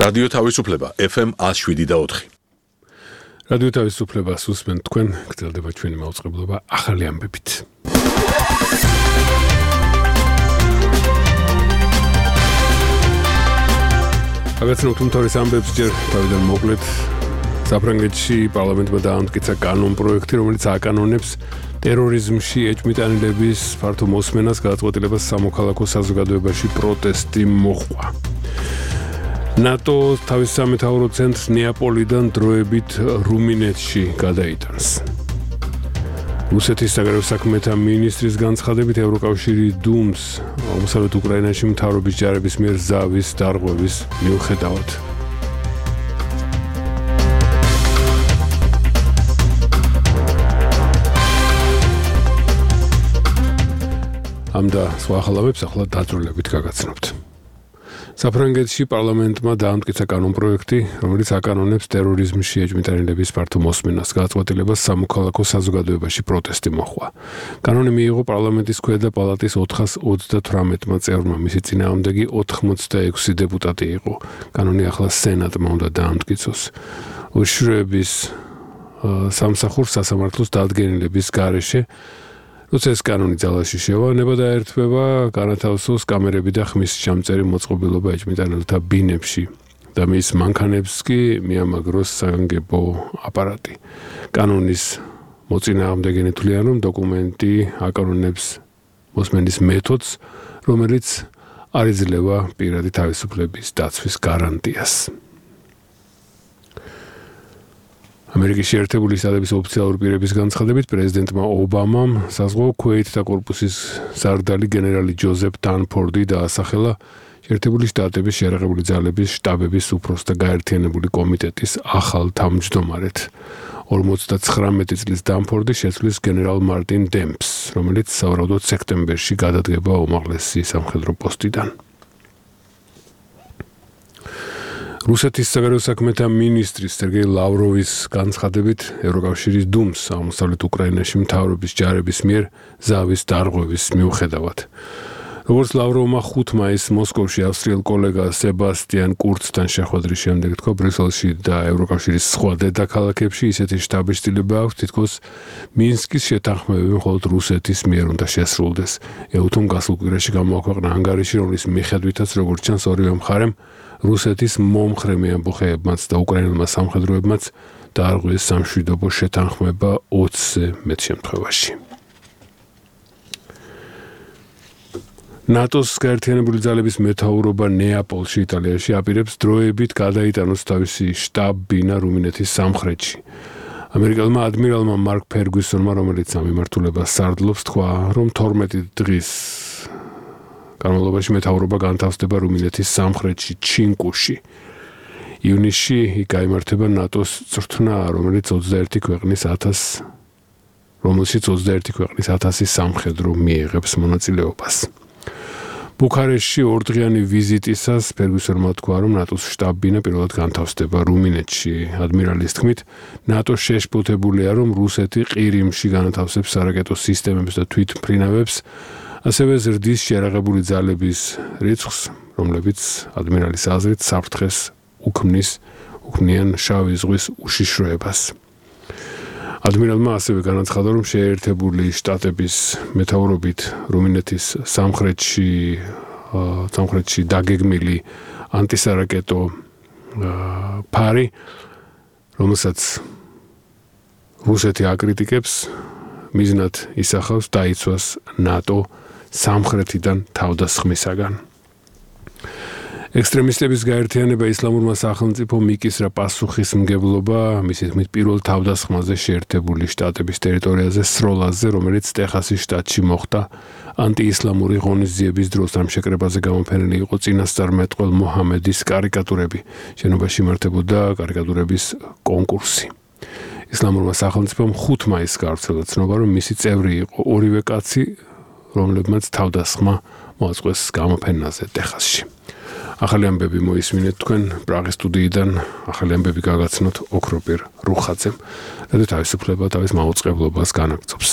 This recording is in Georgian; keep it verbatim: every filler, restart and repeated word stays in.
რადიო თავისუფლება F M one oh seven point four. რადიო თავისუფლებას უსმენთ თქვენ, გრძელდება ჩვენი მაუწყებლობა ახალი ამბებით. აგაცნობთ უმთავრეს ამბებს ჯერ თავიდან მოკლედ. საფრანგეთში პარლამენტმა დაამტკიცა კანონპროექტი, რომელიც აკანონებს ტერორიზმში ეჭვმიტანილების ფართო მოსმენას, გადაწყვეტილებას სამოქალაქო საზოგადოებაში პროტესტი მოჰყვა. ნატო თავის სამეთაურო ცენტრს ნეაპოლიდან დროებით რუმინეთში გადაიტანს. რუსეთის საგარეო საქმეთა მინისტრის განცხადებით ევროკავშირი დუმს აღმოსავლეთ უკრაინაში მთავრობის ჯარების მიერ ზავის დარღვევის მიუხედავად. ამ და სხვა ახალამებს ახლა დაწვრილებით გაგაცნობთ. საფრანგეთში პარლამენტმა დაამტკიცა კანონპროექტი, რომელიც აკანონებს ტერორიზმში ეჭვმიტანილების ფართო მოსმენას, გადაწყვეტილებას სამოქალაქო საზოგადოებაში პროტესტი მოჰყვა. კანონი მიიღო პარლამენტის ქვედა პალატის ოთხას ოცდათვრამეტმა წევრმა, მისი წინააღმდეგი ოთხმოცდაექვსი დეპუტატი იყო. კანონი ახლა სენატმა უნდა დაამტკიცოს. უშრების სამსახურს სასამართლოს დადგენილების გარეშე როცა ეს კანონი ძალაში შევანება და ერთვება, განათავსოს კამერები და ხმის ჩამწერი მოწყობილობა ეჭვმიტანილთა ბინებში და მის მანქანებს კი მიამაგროს საგანგებო აპარატი. კანონის მოწინააღმდეგენი თვლიან, რომ დოკუმენტი აკანონებს მოსმენის მეთოდს, რომელიც არ იძლევა პირადი თავისუფლების დაცვის გარანტიას. ამერიკის შეერთებული შტატების ოფიციალური პირების განცხადებით პრეზიდენტმა ობამამ საზღვაო ქვეითთა კორპუსის სარდალი გენერალი ჯოზეფ დანფორდი დაასახელა შეერთებული შტატების შეიარაღებული ძალების შტაბების უფროსთა გაერთიანებული კომიტეტის ახალ თავმჯდომარედ. ორმოცდათხრამეტი წლის დანფორდი შეცვლის გენერალ მარტინ დემპს, რომელიც სავარაუდოდ სექტემბერში გადადგება უმაღლესი სამხედრო პოსტიდან. რუსეთის საგარეო საქმეთა მინისტრის სერგეი ლავროვის განცხადებით ევროკავშირის დუმს აღმოსავლეთ უკრაინაში მთავრობის ჯარების მიერ ზავის დარღვევის მიუხედავად. როგორც ლავროვმა ხუთი მაისს მოსკოვში ავსტრიელ კოლეგა სებასტიან კურცთან შეხვედრის შემდეგ თქვა, ბრიუსელში და ევროკავშირის სხვა დედაქალაქებში ისეთი შტაბის-ცილება აქვს, თითქოს მინსკის შეთანხმებები მხოლოდ რუსეთის მიერ უნდა შესრულდეს. ეუთომ გასულ კვირაში გამოაქვეყნა ანგარიში, რომლის მიხედვითაც როგორც ჩანს ორივე მხარემ რუსეთის მომხრე მეამბოხეებმაც და უკრაინელმა სამხედროებმაც დაარღვიეს სამშვიდობო შეთანხმება ოცზე მეტ შემთხვევაში. ნატოს გაერთიანებული ძალების მეთაურობა ნეაპოლში, იტალიაში აპირებს დროებით გადაიტანოს თავისი შტაბ-ბინა რუმინეთის სამხრეთში. ამერიკელმა ადმირალმა მარკ ფერგუსონმა, რომელიც ამ მიმართულებას სარდლობს, თქვა, რომ თორმეტი დღის განმავლობაში მეთაურობა განთავსდება რუმინეთის სამხრეთში, ჩინკუში. ივნისში იქ გაიმართება ნატოს წრთნა, რომელიც ოცდაერთი ქვეყნის ათას რომელშიც ოცდაერთი ქვეყნის ათასი სამხედრო მიიღებს მონაწილეობას. ბუქარესტში ორდღიანი ვიზიტისას ფერგუსონმა თქვა, რომ ნატოს შტაბ-ბინა პირველად განთავსდება რუმინეთში. ადმირალის თქმით, ნატო შეშფოთებულია, რომ რუსეთი ყირიმში განათავსებს სარაკეტო სისტემებს და თვითმფრინავებს, ასევე ზრდის შეიარაღებული ძალების რიცხვს, რომლებიც ადმირალის აზრით საფრთხეს უქმნის უქმნიან შავი ზღვის უშიშროებას. ადმირალმა ასევე განაცხადა, რომ შეერთებული შტატების მეთაურობით რუმინეთის სამხრეთში სამხრეთში დაგეგმილი ანტისარაკეტო ფარი, რომელსაც რუსეთი აკრიტიკებს, მიზნად ისახავს დაიცვას ნატო სამხრეთიდან თავდასხმისაგან. ექსტრემისტების გაერთიანება ისლამურმა სახელმწიფომ იკისრა პასუხისმგებლობა მისი თქმით პირველ თავდასხმაზე შეერთებული შტატების ტერიტორიაზე სროლაზე, რომელიც ტეხასის შტატში მოხდა ანტიისლამური ღონისძიების დროს. ამ შეკრებაზე გამოფენილი იყო წინასწარმეტყველ მოჰამედის კარიკატურები. შენობაში იმართებოდა კარიკატურების კონკურსი. ისლამურმა სახელმწიფომ ხუთი მაისს გავრცელა ცნობა, რომ მისი წევრი იყო ორივე კაცი, რომლებმაც თავდასხმა მოაწყვეს გამოფენაზე ტეხასში. ახალი ამბები მოისმინეთ თქვენ პრაღის სტუდიიდან, ახალი ამბები გაგაცნოთ ოქროპირ რუხაძემ. რადგან თავისუფლება თავის მაუწყებლობას განაგრძობს.